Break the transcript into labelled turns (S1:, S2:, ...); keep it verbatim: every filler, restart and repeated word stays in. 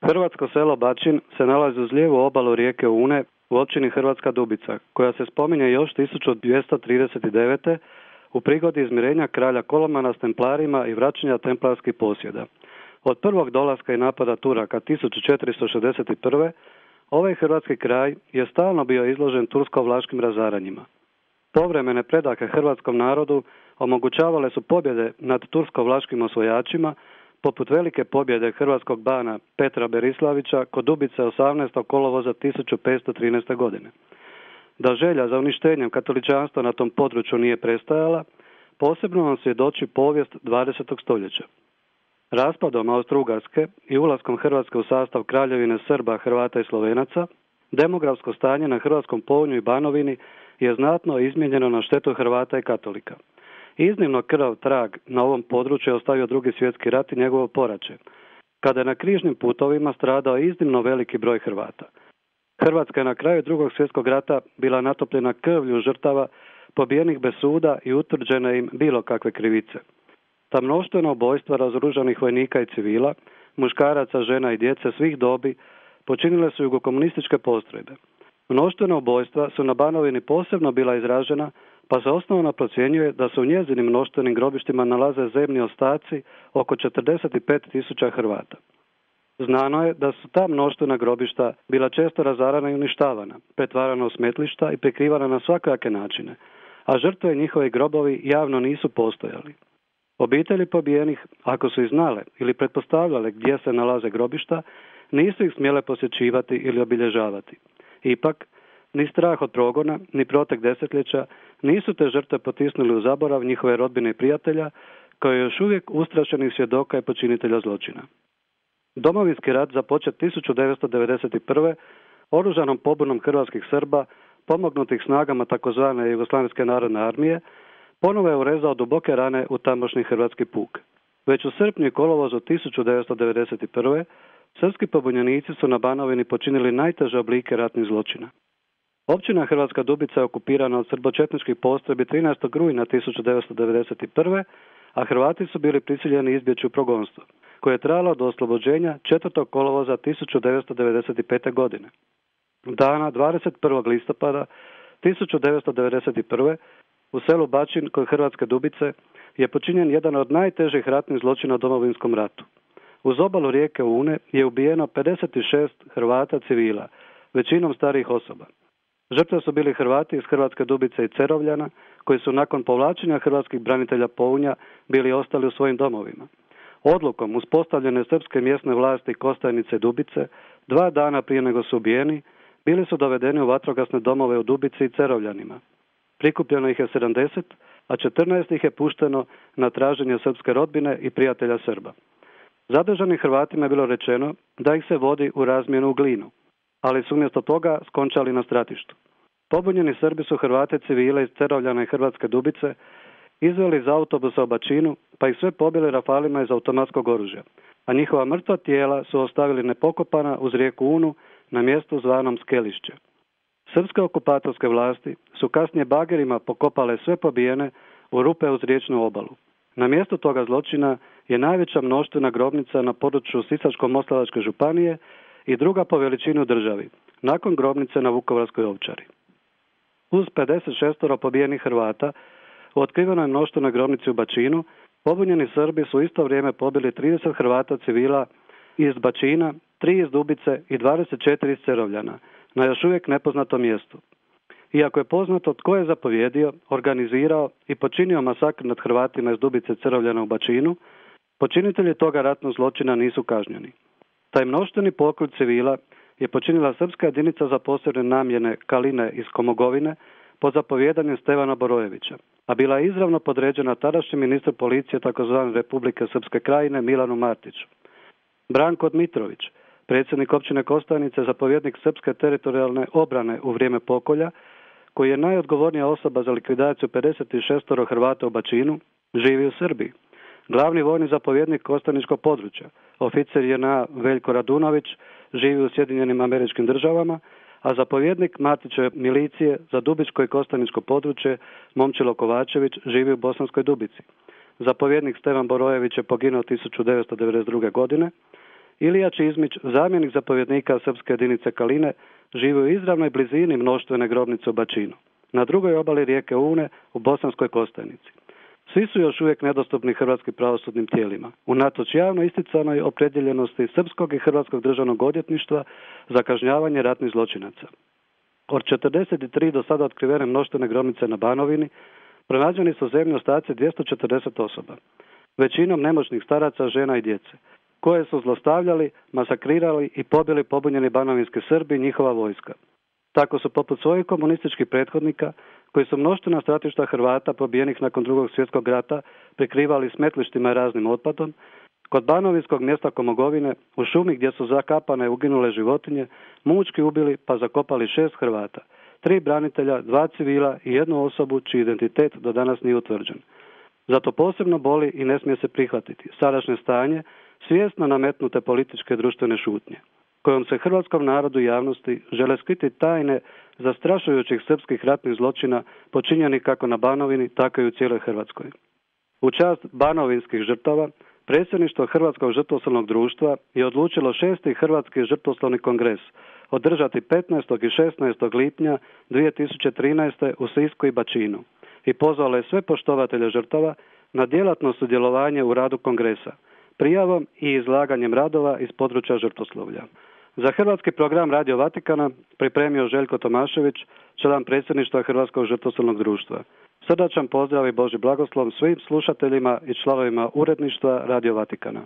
S1: Hrvatsko selo Bačin se nalazi uz lijevu obalu rijeke Une u općini Hrvatska Dubica, koja se spominje još tisuću dvjesto trideset devete. u prigodi izmirenja kralja Kolomana s templarima i vraćanja templarskih posjeda. Od prvog dolaska i napada Turaka tisuću četiristo šezdeset prve. ovaj hrvatski kraj je stalno bio izložen tursko-vlaškim razaranjima. Povremene predahe hrvatskom narodu omogućavale su pobjede nad tursko-vlaškim osvojačima, poput velike pobjede hrvatskog bana Petra Berislavića kod Dubice osamnaestog kolovoza tisuću petsto trinaeste. godine. Da želja za uništenjem katoličanstva na tom području nije prestajala, posebno nam svjedoči povijest dvadesetog stoljeća. Raspadom Austro-Ugarske i ulaskom Hrvatske u sastav Kraljevine Srba, Hrvata i Slovenaca, demografsko stanje na Hrvatskom Pounju i Banovini je znatno izmijenjeno na štetu Hrvata i katolika. Iznimno krvav trag na ovom području je ostavio Drugi svjetski rat i njegovo poraće, kada je na križnim putovima stradao iznimno veliki broj Hrvata. Hrvatska je na kraju Drugog svjetskog rata bila natopljena krvlju žrtava, pobijenih bez suda i utvrđene im bilo kakve krivice. Ta mnoštvena ubojstva razoružanih vojnika i civila, muškaraca, žena i djece svih dobi počinile su jugokomunističke postrojbe. Mnoštvena ubojstva su na Banovini posebno bila izražena, pa se osnovno procjenjuje da se u njezinim mnoštvenim grobištima nalaze zemni ostaci oko četrdeset pet tisuća Hrvata. Znano je da su ta mnoštvena grobišta bila često razarana i uništavana, pretvarana u smetlišta i prikrivana na svakojake načine, a žrtve i njihovi grobovi javno nisu postojali. Obitelji pobijenih, ako su i znale ili pretpostavljale gdje se nalaze grobišta, nisu ih smjele posjećivati ili obilježavati. Ipak, ni strah od progona, ni protek desetljeća nisu te žrtve potisnuli u zaborav njihove rodbine i prijatelja, kao je još uvijek ustrašenih svjedoka i počinitelja zločina. Domovinski rat započet tisuću devetsto devedeset prve. oružanom pobunom hrvatskih Srba, pomognutih snagama tzv. Jugoslavenske narodne armije, ponovo je urezao duboke rane u tamošnji hrvatski puk. Već u srpnju i kolovozu tisuću devetsto devedeset prve. srpski pobunjenici su na Banovini počinili najteže oblike ratnih zločina. Općina Hrvatska Dubica je okupirana od srbočetničkih postrojbi trinaestog rujna tisuću devetsto devedeset prve. a Hrvati su bili prisiljeni izbjeći u progonstvo, koje je trajalo do oslobođenja četvrtog kolovoza tisuću devetsto devedeset pete. godine. Dana dvadeset prvog listopada tisuću devetsto devedeset prve. u selu Bačin kod Hrvatske Dubice je počinjen jedan od najtežih ratnih zločina u Domovinskom ratu. Uz obalu rijeke Une je ubijeno pedeset šest Hrvata civila, većinom starijih osoba. Žrtve su bili Hrvati iz Hrvatske Dubice i Cerovljana, koji su nakon povlačenja hrvatskih branitelja Pounja bili ostali u svojim domovima. Odlukom uspostavljene srpske mjesne vlasti Kostajnice i Dubice, dva dana prije nego su ubijeni, bili su dovedeni u vatrogasne domove u Dubici i Cerovljanima. Prikupljeno ih je sedamdeset, a četrnaest ih je pušteno na traženje srpske rodbine i prijatelja Srba. Zadržanim Hrvatima je bilo rečeno da ih se vodi u razmjenu u Glinu, ali su umjesto toga skončali na stratištu. Pobunjeni Srbi su Hrvate civile iz Cerovljana i Hrvatske Dubice izveli iz autobusa u Bačinu, pa ih sve pobili rafalima iz automatskog oružja, a njihova mrtva tijela su ostavili nepokopana uz rijeku Unu na mjestu zvanom Skelišće. Srpske okupatorske vlasti su kasnije bagerima pokopale sve pobijene u rupe uz riječnu obalu. Na mjestu toga zločina je najveća mnoštvena grobnica na području Sisačko-moslavačke županije i druga po veličini u državi, nakon grobnice na Vukovarskoj Ovčari. Uz pedeset šest pobijenih Hrvata u otkrivenoj mnoštvenoj grobnici u Bačinu, pobunjeni Srbi su u isto vrijeme pobili trideset Hrvata civila iz Bačina, tri iz Dubice i dvadeset četiri iz Cerovljana, na još uvijek nepoznatom mjestu. Iako je poznato tko je zapovjedio, organizirao i počinio masakr nad Hrvatima iz Dubice Cerovljana u Bačinu, počinitelji toga ratnog zločina nisu kažnjeni. Taj mnoštveni pokolj civila je počinila srpska jedinica za posebne namjene Kaline iz Komogovine pod zapovjedanjem Stevana Borojevića, a bila je izravno podređena tadašnjem ministru policije tzv. Republike Srpske krajine Milanu Martiću. Branko Dmitrović, predsjednik općine Kostajnice, zapovjednik srpske teritorijalne obrane u vrijeme pokolja, koji je najodgovornija osoba za likvidaciju pedeset šest Hrvata u Bačinu, živi u Srbiji. Glavni vojni zapovjednik Kostajničkog područja, oficir J N A Veljko Radunović, živi u Sjedinjenim Američkim Državama, a zapovjednik Matićeve milicije za Dubičko i Kostajničko područje, Momčilo Kovačević, živi u Bosanskoj Dubici. Zapovjednik Stevan Borojević je poginuo tisuću devetsto devedeset druge. godine Ilija Čizmić, zamjenik zapovjednika srpske jedinice Kaline, živi u izravnoj blizini mnoštvene grobnice u Bačinu, na drugoj obali rijeke Une u Bosanskoj Kostajnici. Svi su još uvijek nedostupni hrvatskim pravosudnim tijelima, unatoč javno isticanoj opredjeljenosti srpskog i hrvatskog državnog odvjetništva za kažnjavanje ratnih zločinaca. Od četrdeset tri do sada otkrivene mnoštvene grobnice na Banovini pronađeni su zemlji ostaci dvjesto četrdeset osoba, većinom nemoćnih staraca, žena i djece, koje su zlostavljali, masakrirali i pobili pobunjeni banovinski Srbi i njihova vojska. Tako su poput svojih komunističkih prethodnika, koji su mnoštvena stratišta Hrvata pobijenih nakon drugog svjetskog rata prikrivali smetlištima i raznim otpadom, kod banovinskog mjesta Komogovine, u šumi gdje su zakapane uginule životinje, mučki ubili pa zakopali šest Hrvata, tri branitelja, dva civila i jednu osobu čiji identitet do danas nije utvrđen. Zato posebno boli i ne smije se prihvatiti sadašnje stanje svjesno nametnute političke društvene šutnje, kojom se hrvatskom narodu i javnosti žele skriti tajne zastrašujućih srpskih ratnih zločina počinjenih kako na Banovini, tako i u cijeloj Hrvatskoj. U čast banovinskih žrtava, predsjedništvo Hrvatskog žrtvoslovnog društva je odlučilo šesti Hrvatski žrtvoslovni kongres održati petnaestog i šesnaestog lipnja dvije tisuće trinaeste. u Sisku i Bačinu i pozvalo je sve poštovatelje žrtava na djelatno sudjelovanje u radu kongresa, prijavom i izlaganjem radova iz područja žrtvoslovlja. Za hrvatski program Radio Vatikana pripremio Željko Tomašević, član predsjedništva Hrvatskog žrtvoslovnog društva. Srdačan pozdrav i Božji blagoslov svim slušateljima i članovima uredništva Radio Vatikana.